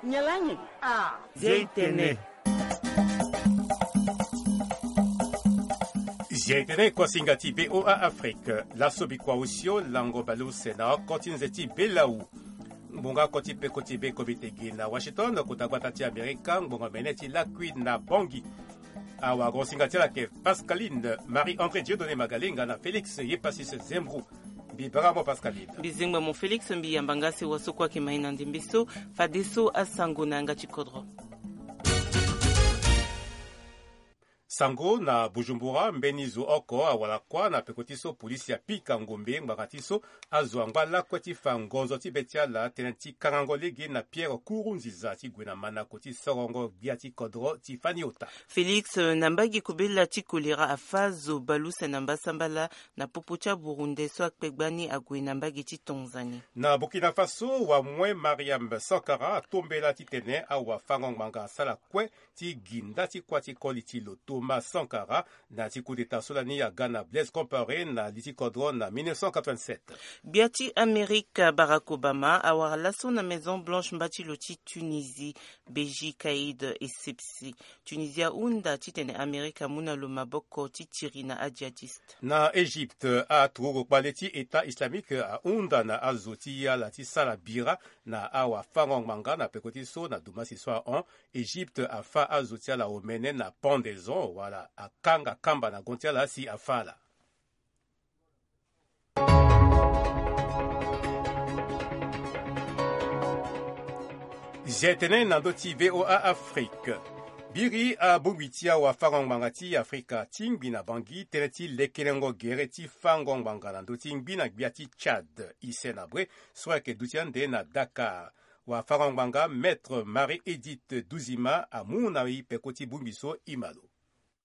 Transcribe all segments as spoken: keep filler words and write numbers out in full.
Nyalangi. Ah. Zia itene. Zia itene kuasinga ti VOA Afrique. Laso bikua osio lango baleuse na oko ti nze ti belau. Ngbonga oko ti peko ti be komite gi na Washington, kota gbata ti Amerika, ngbonga mene ti lakui na Bangui. Awagosinga ti ala ayeke Pascaline Marie-André Dieudonné Magalenga na Félix Yepasis Zembrou. Mbi bara mo Pascaline. Mbi zengba mo Félix, mbi yamba nga si waso kue ayeke mai na ndembe so. Fadeso asango na yanga ti kodro. Sango na Bujumbura, mbeni zo oko awara kuâ na peko ti so polisi apika ngombe ngbanga ti so azo angba lakue ti fa ngonzo ti be ti ala tënë ti kangango lege na Pierre Nkurunziza ti gue na manako ti sorongo gbia ti kodro ti fani ota. Félix, na mbage kobela ti kolera afa zo baleuse na mbasambala na popo ti aburunde so akpe gbani ague na mbage ti Tanzanie. Na Burkina Faso, wamue Mariam Sankara atombela titene awafango-ngbanga asara kue ti gi nda ti kuâ ti koli ti lo Thomas Sankara na ti coup d'État so lani aga na Blaise Compaoré na li ti kodro na mille neuf cent quatre-vingt-sept. Gbia ti Amerika Barack Obama awara laso na Maison Blanche mba ti lo ti Tunisie, Beji Kaïd Essebsi. Tunisie ahunda titene Amerika amu na lo maboko ti tiri na ajihadiste. Na Égypte, aturugu kpale ti État islamique ahunda na azo ti ala ti sara bira na awafango-ngbanga na peko ti so na dumasi so ahon. Égypte afa azo ti ala omene na pendaison wala akanga kamba na gon ti ala si afa ala. Zia tënë na ndö ti VOA Afrique. Biri abongbi ti awafango-ngbanga ti Afrika ti ngbi na Bangui tënë ti lekelengo gere ti fango-ngbanga na ndö ti ngbi na gbia ti Tchad, Hissène Habré, so ayeke duti ande na Dakar. Wafango-ngbanga Maître Marie Édith Douzima amu na e peko ti bongbi so e ma lo.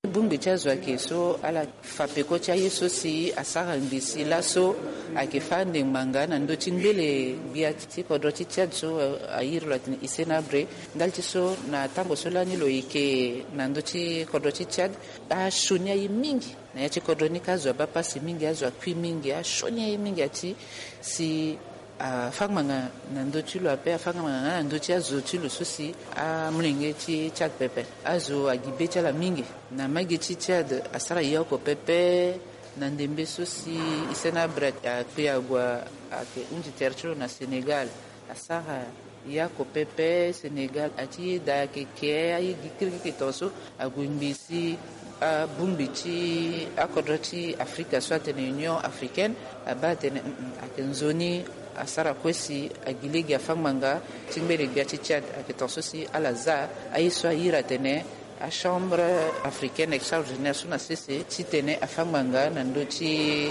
Bongbi ti azo ayeke so ala fa peko ti aye so si asara ngbi si laso ayeke fâ ande ngbanga na ndö ti ngbele gbia ti kodro ti Tchad so, eh, a iri lo atene Hissène Habré. Ndali ti so na tango so lani lo yeke na ndö ti kodro ti Tchad, asioni aye mingi. Na ya ti kodro ni ka azo abaa pasi mingi, azo akui mingi, asioni aye mingi ati si afa ngbanga na ndö ti lo ape, afa ngbanga nga na ndö ti azo ti lo so si amolenge ti Tchad pepe. Azo agi be ti ala mingi. Na mbage ti Tchad asara ye oko pepe. Na ndembe so si Hissène Habré akpe ague ayeke hunzi tere ti lo na Sénégal, asara ye oko pepe. Sénégal ati ye daa ayeke ke aye gi kirikiri tongaso ague ngbi si abongbi ti akodro ti Afrika so atene Union Africaine abaa atene, mm, mm, ayeke nzoni asara kue si agi lege afa ngbanga ti ngbele gbia ti Tchad. Ayeke tongaso si ala za aye so a iri atene aChambre africaine extraordinaire so na sese titene afa ngbanga na ndö ti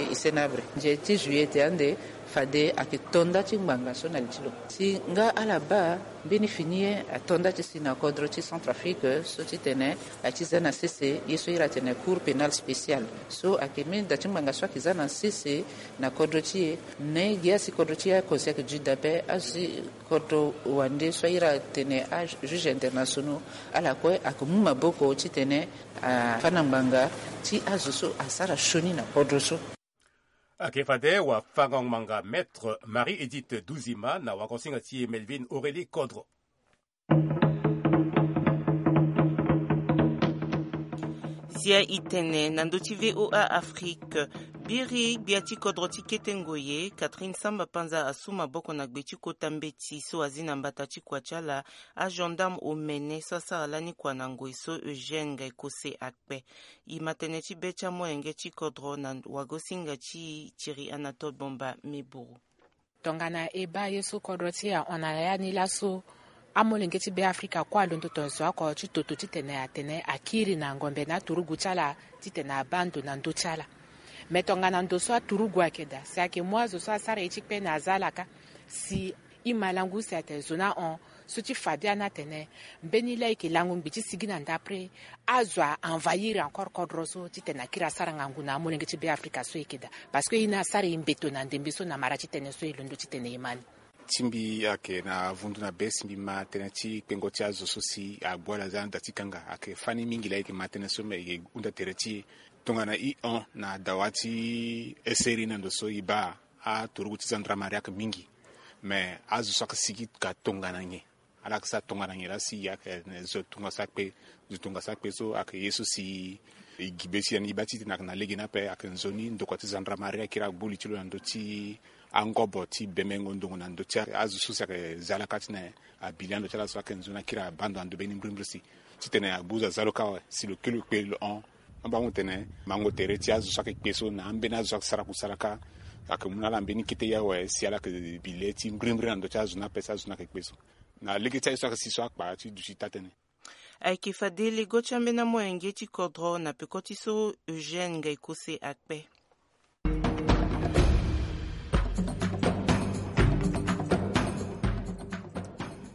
Hissène Habré. Nze ti juillet ande fade ayeke to nda ti ngbanga so na li ti lo. Si nga ala baa mbeni fini ye ato nda ti si na kodro ti Centrafrique so titene a ti za na sese ye so iri atene Cour pénale spéciale. So ayeke mbeni da ti ngbanga so ayeke za na sese na kodro ti e. Na e gi asi kodro ti e akonsi ayeke duti dape asi kodro wande so a iri atene ajuge internationaux, ala kue ayeke mu maboko titene afa na ngbanga ti azo so asara sioni na kodro so. Ayeke fade wafango-ngbanga Maître Marie Édith Douzima na wagosinga ti e Melvin Aurélie Kodro. Zia itene na ndö ti VOA Afrique. Biri gbia ti kodro ti kete ngoye Catherine Samba Panza asu maboko na gbe ti kota mbeti so azi na mbata ti kua ti ala agendarme omene so asara lani kua na ngoi so Eugène Ngaikose akpe. E ma tënë ti be ti amolenge ti kodro na wagosinga ti Thierry Anatole Bomba Meburu. Tongana e baa ye so kodro ti e ahon na ya ni laso, amolenge ti Beafrika kue alondo tongaso oko ti toto titene atene akiri na ngombe na aturugu ti ala titene abaa ndo na ndö ti ala. Me tongana ndo so aturugu ayeke daa si ayeke mu azo so asara ye ti kpe na aza ala kâ, si e ma lango use atene zo ni ahon, so ti fade ani atene mbeni laa e yeke lango ngbi ti sigi na ndapre, azo a envahir encore kodro so titene akiri asara ngangu na amolenge ti Beafrika so e yeke daa. Parce que e ni asara e mbeto na ndembe so na mara ti tënë so e londo titene e ma ni. Ti mbi ayeke na vundu na be si mbi ma tënë ti kpengo ti azo so si agbu ala za na da ti kanga. Ayeke fani mingi laa e yeke ma tënë so me e yeke hunda tere ti e. Tongana e hon na dawa ti eseri na ndo so e baa aturugu ti gendarmerie ayeke mingi. Me azo so ayeke sigi ka tongana nyen? Ala yeke sara tongana nyen laa si ayeke zo tongana so akpe, zo tongana so akpe so ayeke ye so si e gi be ti e ni e baa titene ayeke na lege ni ape. Ayeke nzoni ndokua ti gendarmerie akiri agbu li ti lo na ndö ti angobo ti bemengo ndongo na ndö ti azo so si ayeke za ala kâ titene abi li ando ti ala so ayeke nzoni akiri abaa ndo na ndo mbeni mbirimbiri si titene agbu zo aza lo kâ awe si lo kiri lo kpe lo hon. Amba ahon tene mango tere ti azo so ayeke kpe so na ambeni azo so ayeke sara kusala kâ ayeke mu na ala mbeni kete ye awe si ala yeke bi le ti mbirimbiri na ndö ti azo ni ape si azo ni ayeke kpe so. Na lege ti aye so ayeke si so akpa ti duti taa-tënë. Ayeke fade lego ti ambeni amolenge ti kodro na peko ti so Eugène Ngaikose akpe.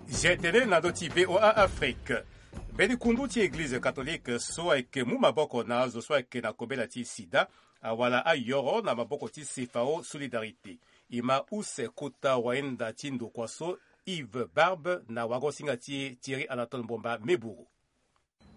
Zia tënë na ndö ti V O A Afrique. Mbeni kundu ti eglize katolike so ayeke mu maboko na azo so ayeke na kobela ti sida awala ayoro na maboko ti CFAO Solidarité. E ma use kota wainda ti ndokua so Yves Barbe na wagosinga ti e Thierry Anatole Mbomba Meburu.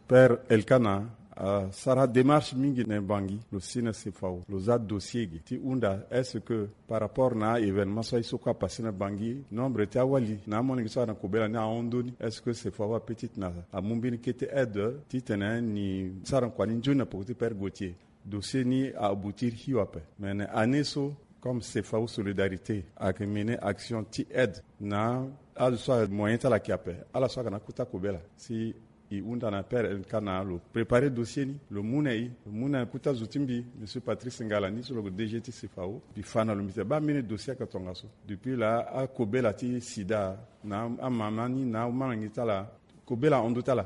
Père Elkana asara démarche mingi na e Bangui, lo si na CFAO lo za dossier ge ti hunda est-ce que par rapport na événement so aye so kue apassé na Bangui, nombre ti awali na amolenge so ayeke na kobela ni ahon ndoni, est-ce que CFAO apeut titene amu mbeni kete aide titene ni sara kua ni nzoni na peko ti Père Gauthier. Dossier ni a aboutir hio ape. Mais na année so, comme CFAO Solidarité ayeke mené action ti aide na azo so ayeke moyen ti ala ayeke ape, ala so ayeke na akota kobela, si e hunda na Père Elkana lo préparer dossier ni, lo mu na e, lo mu na kota zo ti mbi, monsieur Patrice Ngala ni so lo yeke DG ti CFAO, mbi fa na lo mbi tene baa mbeni dossier ayeke tongaso. Depuis laa akobela ti sida na amama ni na amalenge ti ala, kobela ahon ndö ti ala.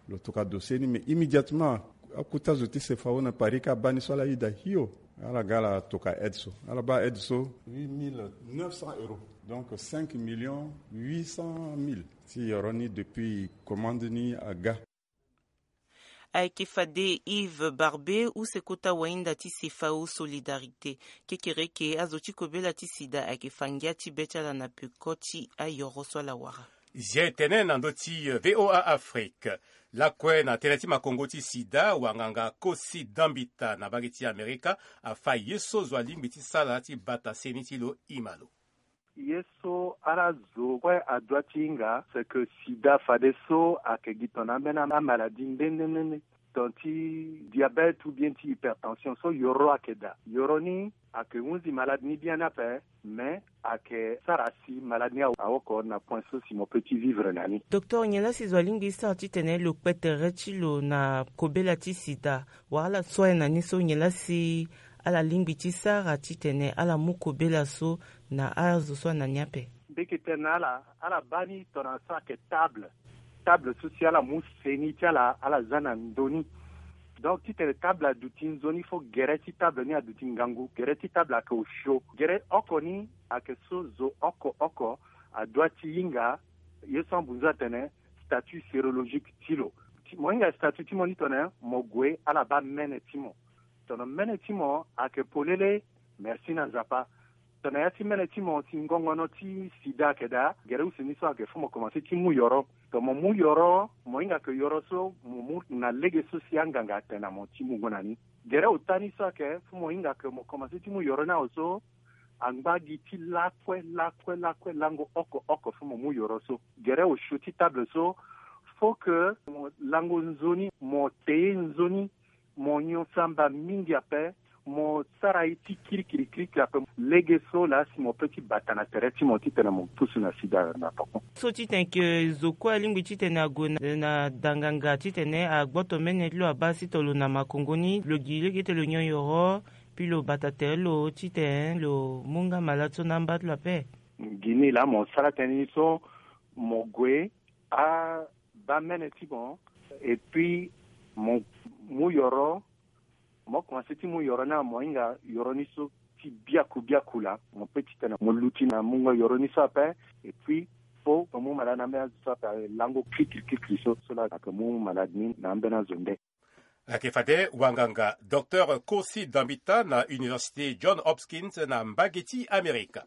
Lo toka dossier ni, mais immédiatement akota zo ti CFAO na Paris kâ abaa ni so ala yeda hio. Ala ga ala toka aide so, ala baa aide so huit mille neuf cents euros, donc cinq millions huit cent mille. Ti yoro ni depuis commande ni aga. Ayeke fade Yves Barbe, use kota wainda ti CFAO Solidarité. Kekereke, azo ti kobela ti sida ayeke fa ngia ti be ti ala na peko ti ayoro so ala wara. Zia e tene na ndö ti, eh, V O A Afrique. Lakue na tënë ti makongo ti sida, wanganga Kosi Dambita na mbage ti Amerika afa ye so zo alingbi ti sara ti bata seni ti lo ima lo. Ye so ala zo kue adua ti hinga, c'est que sida fadeso ayeke gi tongana ambeni amaladi nde nde nde nde. Tongana ti diabète ou bien ti hypertension so yoro ayeke daa. Yoro ni ayeke hunzi maladi ni biani ape, mais ayeke sara si maladi ni aoko na point so si mo peut ti vivre na ni. Docteur, nyen laa si zo alingbi ti sara titene lo kpe tere ti lo na kobela ti sida? Wala ala so aye na ni so, nyen laa si ala lingbi ti sara titene ala mu kobela so na azo so ana ni ape? Mbi yeke tene na ala, ala baa ni tongana so ayeke table. Table so si ala mu seni ti ala, ala za na ndö ni. Donc titene table aduti nzoni, fo gere ti table ni aduti ngangu. Gere ti table ayeke osio. Gere oko ni ayeke so zo oko oko adua ti hinga ye so ambunzu atene statut sérologique ti lo. Ti, mo hinga statut ti mo ni tongana nyen? Mo gue, ala baa mene ti mo. Tongana mene ti mo ayeke polele, merci na Nzapa. Tongana ya ti mene ti mo si ngongono ti sida ayeke daa, gere use ni so ayeke fo mo komanse ti mu yoro. Tongana mo mu yoro, mo hinga ke yoro so mo mu na lege so si anganga atene na mo ti mungo na ni. Gere ota ni so ayeke fo mo hinga ke mo komanse ti mu yoro ni awe so, angba gi ti lakue lakue lakue lango oko oko fo mo mu yoro so. Gere osio ti table so, fo ke mo lango nzoni, mo te ye nzoni, mo nyon samba mingi ape, mo sara ye ti kirikiri kirikiri ape. Lege so laa si mo peut ti bata na tere ti mo titene mo pusu na sida na poko. So titene ke zo kue alingbi titene ague na, na danganga titene agboto mene ti lo abaa sitolo na makongo ni, lo gi lege ti lo nyon yoro, puis lo bata tere lo titene lo mu nga malade so na amba ti lo ape. Gi ni laa mo sara tënë ni so, mo gue, abaa mene ti mo, et puis mo mu yoro, mo komanse ti mu yoro ni, mo hinga yoro ni so ti biaku biaku laa, mo peut titene mo luti na mungo yoro ni so ape, et puis fo mo mu malade na ambeni azo so ape, lango kirikiri kirikiri so, so laa ayeke mu malade ni na ambeni azo nde. Ayeke fade wanganga Docteur Kosi Dambita na Université John Hopkins na mbage ti Amerika.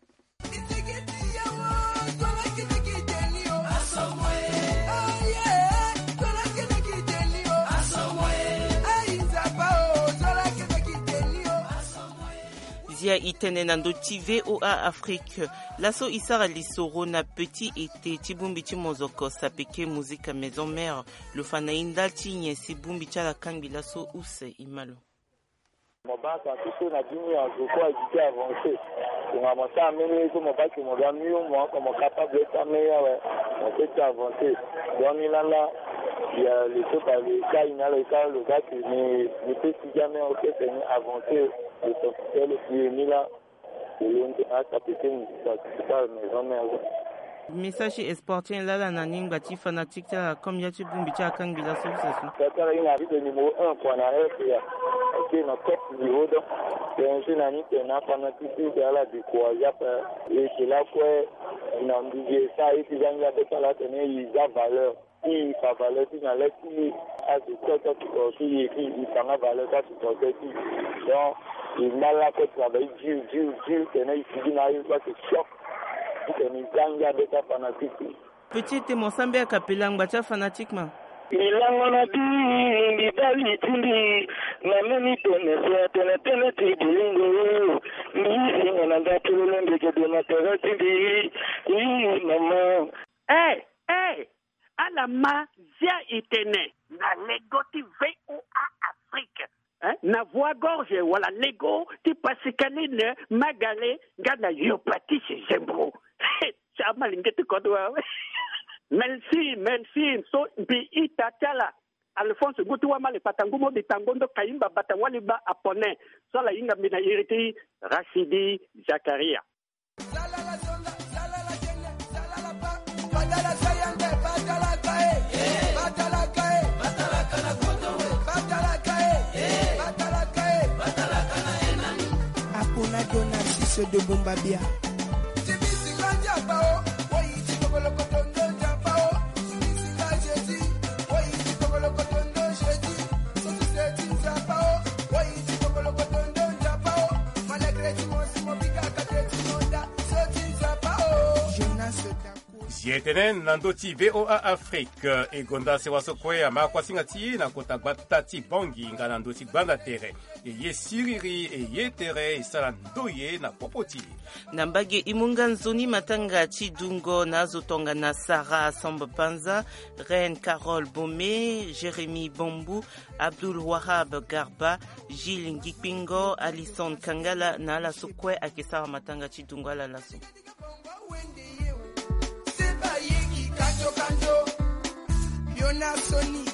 Ya i tene na ndö ti VOA Afrique. Laso i sara lisoro na petit ete ti bongbi ti mozoko sapeke musique maison mère. Lo fa na i ndali ti nyen si bongbi ti ala kangbi laso use i ma lo? Mo baa parti so na bini azo kue aye ti avancer. Tongana mo sara mbeni ye so mo baa ke mo ga mieux, mo oko mo capable ti amener awe, mo peut ti avancer. Donc ni lala, ya le so bale ka i na lo ka lo ga ke ni ni peut ti jamais ok tene avancer. Lo senti tele ti ye ni la. Message ti espoir ti en laa ala na ni ngba ti fanatique ti ala comme ya ti bongbi ti akangbi laso use so. Tatala i na vide numéro un kua na heure ya. Ok na top niveau donc. Tene so na ni tene na fanatique ti ala décourage ape. E ke lakue na ndugi e sara ye ti zangi abe ti ala tene i za valeur. Ti i fa valeur ti na le ti azo kue ti asupporter ye ti i fa nga valeur ti asupporter ti i. Donc i ngba lakue travail dur dur dur tene i sigi na aye kue ake choc. Ti tene i za ngia be ti afanatique ti i. Petit ete mo sambe akapela ngba ti afanatique ma. Milango na bi mibali ti mbi na meni tene so atene tene ti bolingo. Mbi singa na nga tololo mbegede na tere ti mbi. Ii mama. Eh, eh, ala ma zia i tene. Na lego ti VOA Afrique. Hein? Na voix gorge wala lego ti Pascaline Magale nga na Yopatisi Zembro. Ti ama lingete kodo awe. Merci, merci. So mbi ita ti ala. Alphonse ngu ti wamale kpata ngu mo di tango ndo kayimba bata wali ba apone. So ala hinga mbi na iri ti Rachidi Zakaria. Apona dona siso de bomba bia. Zi etene na ndö ti VOA Afrique. E gonda sewa so kue ama kuasinga ti e na kota gbata ti Bangui nga na ndö ti gbanda tere. E ye siriri e ye tere e sara ndoye na popo ti e. Na mbage e mu nga nzoni matanga ti dungo na azo tongana Sarah Sombo Panza, Reine Carole Bome, Jérémie Bambou, Abdoul Wahab Garba, Gilles Ngikpingo, Alison Kangala na ala so kue ayeke sara matanga ti dungo ala laso. Seba yeki kanjo kanjo. Yo na soni.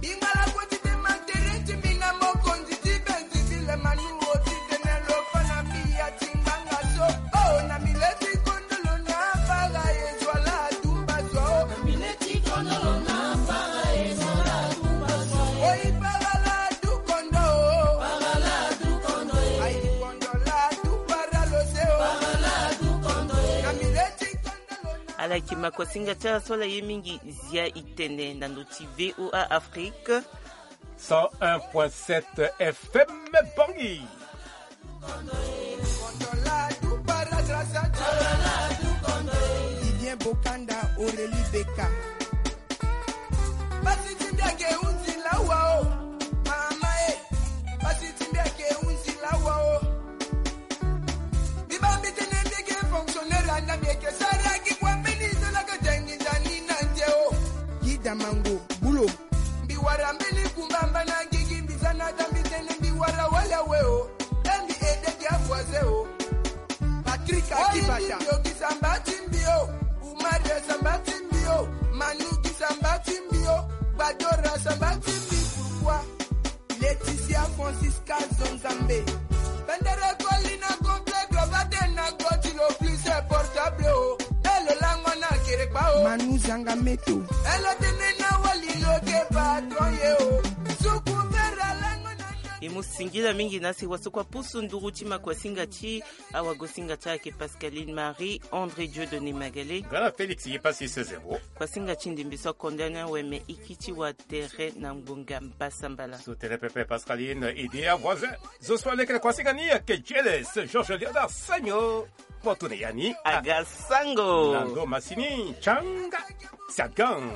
Bingala koti te matere ti mina mokonzi ti benzi vile manu oti tene lo fa na mbi ya ti ngbanga so. Oh na mile ti kondolo na fara ye zwa la tumba so. Na mile ti kondolo na fara ye zwa la tumba so. Oyi fara la du kondo. Fara la du kondo. Ayi kondo la du fara lo se o. Fara la du kondo. Na mile ti Ala yeke makosinga ti ala so ala ye mingi. Zia i tene na ndo ti VOA Afrique. Cent un point sept FM Bangui. Vivien Bokanda, Aurélie Beka. Basi ti mbi ake hunzi lawa o. Mama e. Basi ti mbi ake hunzi lawa o. Mbi baa mbi tene mbi yeke fonctionnaire anda mbi yeke sara gi kua mbeni zo laka jangi nzani na nze o. Gi damango bulo. Mbi wara mbeni kumbamba na gigi mbi za na da mbi tene mbi wara wali awe o. E mbi ede gi avoisin o. Patrick Akibata. Oyi mbi yokisa mba ti mbi o. Umar samba ti mbi o. Manu gi samba ti mbi o. Gbadora samba ti mbi pourquoi? Laetitia Francisca Zonzambe. Pendere koli na complet globate na goti lo plus portable o. E lo lango na kerekpa o. Manu zanga meto. E lo tene na wali lo ke patron ye o. Suku vera lango na. E mu singila mingi na si waso kua pusu nduru ti makuasinga ti awagosinga ti ayeke Pascaline Marie André Dieudonné Magale. Nga na Félix ye pasi sezero. Kuasinga ti ndembe so akonda ni awe me iki ti wa tere na ngbonga mbasambala. So tere pepe Pascaline ede avoisin. Zo so alekere kuasinga ni ayeke Jeles Georges Léonard Sagno. Mo tene ya ni aga sango. Na ndo masini canga. Sagang.